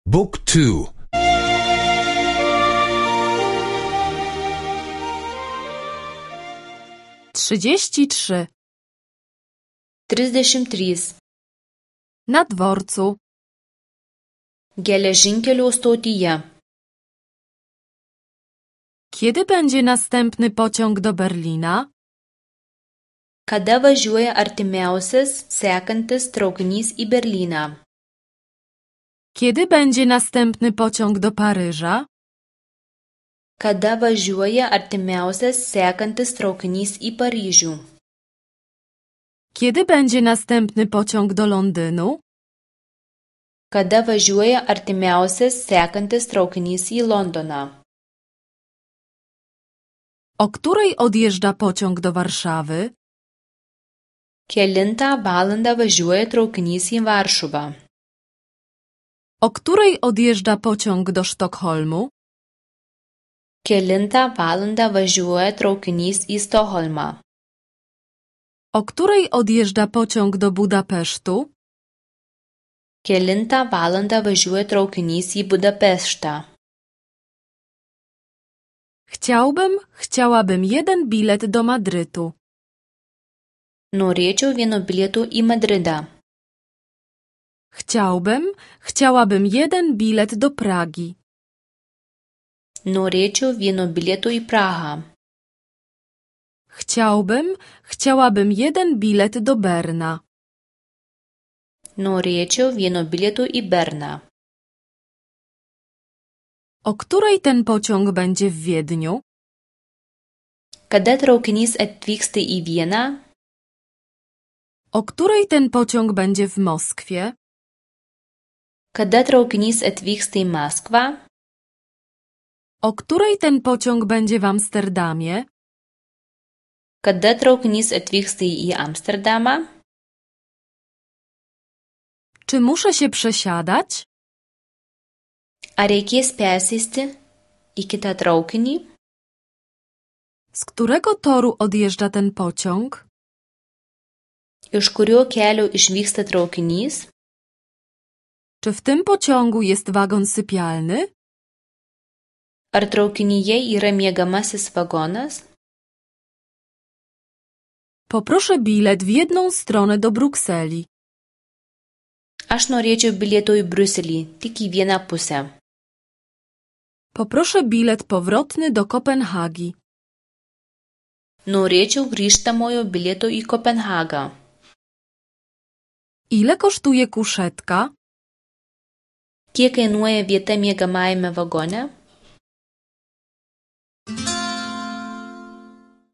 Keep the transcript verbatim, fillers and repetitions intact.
Book two. Trzydzieści trzy. Trisdešimt trys. Na dworcu. Geležinkelio stotyje. Kiedy będzie następny pociąg do Berlina? Kada važiuoja artimiausias sekantis traukinys į Berlyną? Kiedy będzie następny pociąg do Paryża? Kada važiuoja artimiausias sekantis traukinys į Paryžių? Kiedy będzie następny pociąg do Londynu? Kada važiuoja artimiausias sekantis traukinys į Londoną? O której odjeżdża pociąg do Warszawy? Kelintą valandą važiuoja traukinys į Varšuvą? O której odjeżdża pociąg do Sztokholmu? Kelintą valandą važiuoja traukinys į Stokholmą? O której odjeżdża pociąg do Budapesztu? Kelintą valandą važiuoja traukinys į Budapeštą? Chciałbym, chciałabym jeden bilet do Madrytu. Norėčiau vieno bilieto į Madridą. Chciałbym, chciałabym jeden bilet do Pragi. Norėčiau vieno bilieto į Prahą. Chciałbym, chciałabym jeden bilet do Berna. Norėčiau vieno bilieto į Berną. O której ten pociąg będzie w Wiedniu? Kada traukinys atvyksta į Vieną? O której ten pociąg będzie w Moskwie? Kada traukinys atvyksta į Maskvą? O której ten pociąg będzie w Amsterdamie? Kada traukinys atvyksta į Amsterdamą? Czy muszę się przesiadać? Ar reikės persėsti į kitą traukinį? Z którego toru odjeżdża ten pociąg? Iš kurio kelio išvyksta traukinys? Czy w tym pociągu jest wagon sypialny? Ar traukinyje yra miegamasis vagonas? Poproszę bilet w jedną stronę do Brukseli. Aš norėčiau bilieto į Briuselį, tik į vieną pusę. Poproszę bilet powrotny do Kopenhagi. Norėčiau grįžtamojo bilieto į Kopenhagą. Ile kosztuje kuszetka? Kiek kainuoja vieta miegamajame vagone?